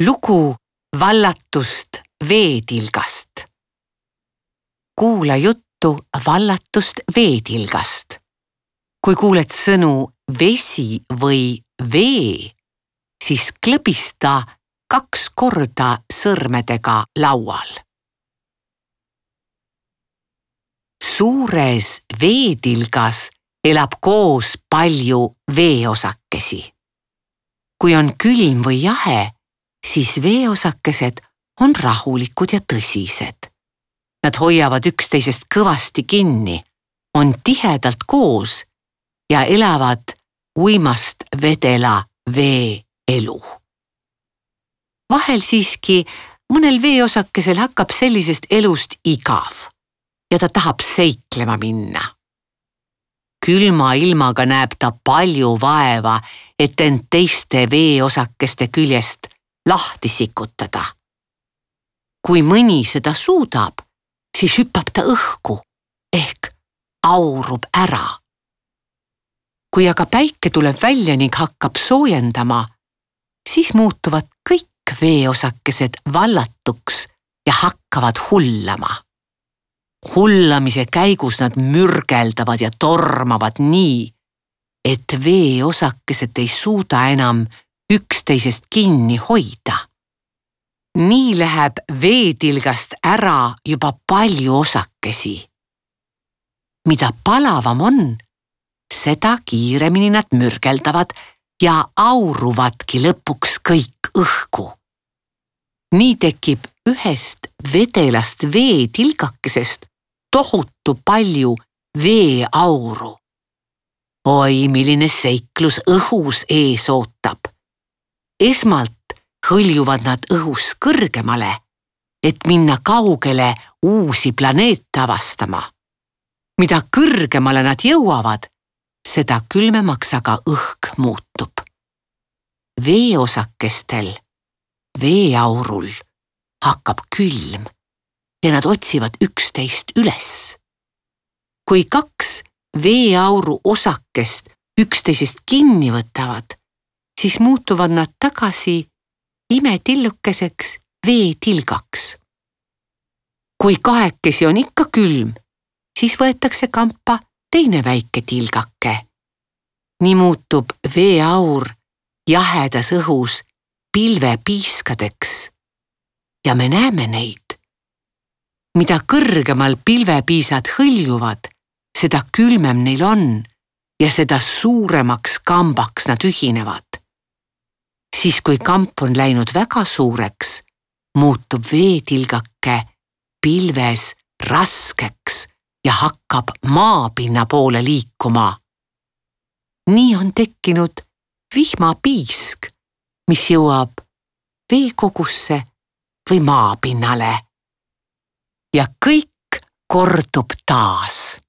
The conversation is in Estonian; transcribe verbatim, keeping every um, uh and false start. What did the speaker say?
Lugu vallatust veetilgast. Kuula juttu vallatust veetilgast. Kui kuuled sõnu vesi või vee, siis klõbista kaks korda sõrmedega laual. Suures veetilgas elab koos palju veeosakesi. Kui on külm või jahe, siis veeosakesed on rahulikud ja tõsised. Nad hoiavad üksteisest kõvasti kinni, on tihedalt koos ja elavad uimast vedela vee elu. Vahel siiski mõnel veeosakesel hakkab sellisest elust igav ja ta tahab seiklema minna. Külma ilmaga näeb ta palju vaeva, et end teiste veeosakeste küljest lahti sikutada. Kui mõni seda suudab, siis hüppab ta õhku ehk aurub ära. Kui aga päike tuleb välja ning hakkab soojendama, siis muutuvad kõik veeosakesed vallatuks ja hakkavad hullama. Hullamise käigus nad mürgeldavad ja tormavad nii, et veeosakesed ei suuda enam üksteisest kinni hoida. Nii läheb veetilgast ära juba palju osakesi. Mida palavam on, seda kiiremini nad mürgeldavad ja auruvadki lõpuks kõik õhku. Nii tekib ühest vedelast veetilgakesest tohutu palju veeauru. Oi, milline seiklus õhus ees ootab. Esmalt hõljuvad nad õhus kõrgemale, et minna kaugele uusi planeete avastama. Mida kõrgemale nad jõuavad, seda külmemaks aga õhk muutub. Veeosakestel, veeaurul hakkab külm ja nad otsivad üksteist üles. Kui kaks veeauru osakest üksteisest kinni võtavad, siis muutuvad nad tagasi imetillukeseks veetilgaks. Kui kahekesi on ikka külm, siis võetakse kampa teine väike tilgake. Nii muutub veeaur jahedas õhus pilvepiiskadeks ja me näeme neid. Mida kõrgemal pilvepiisad hõljuvad, seda külmem neil on ja seda suuremaks kambaks nad ühinevad. Siis kui kamp on läinud väga suureks, muutub veetilgake pilves raskeks ja hakkab maapinna poole liikuma. Nii on tekkinud vihmapiisk, mis jõuab veekogusse või maapinnale. Ja kõik kordub taas.